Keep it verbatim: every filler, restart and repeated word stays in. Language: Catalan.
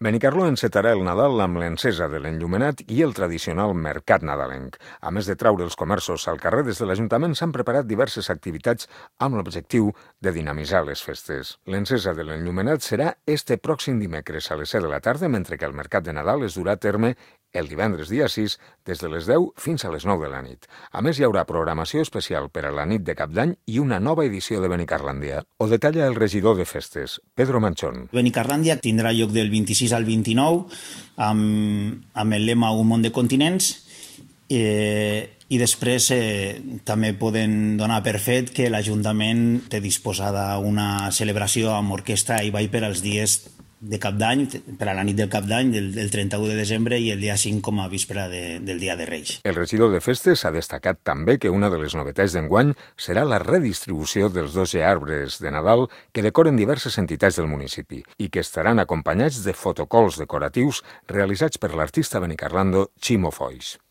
Benicarló encetarà el Nadal amb l'encesa de l'enllumenat i el tradicional mercat nadalenc. A més de traure els comerços al carrer, des de l'Ajuntament s'han preparat diverses activitats amb l'objectiu de dinamitzar les festes. L'encesa de l'enllumenat serà este pròxim dimecres a les set de la tarda, mentre que el mercat de Nadal es durà a terme el divendres dia sis, des de les deu fins a les nou de la nit. A més, hi haurà programació especial per a la nit de Cap d'Any i una nova edició de Benicarlàndia. Ho detalla el regidor de festes, Pedro Manchón. Benicarlàndia tindrà lloc del vint-i-sis al vint-i-nou amb, amb el lema Un món de continents eh, i després eh, també poden donar per fet que l'Ajuntament té disposada una celebració amb orquestra i ball per als dies de Cap d'Any, per a la nit del Cap d'Any, del, del trenta-u de desembre i el dia cinc com a víspera de, del dia de Reis. El regidor de festes ha destacat també que una de les novetats d'enguany serà la redistribució dels dos arbres de Nadal que decoren diverses entitats del municipi i que estaran acompanyats de fotocols decoratius realitzats per l'artista benicarlando Ximo Foix.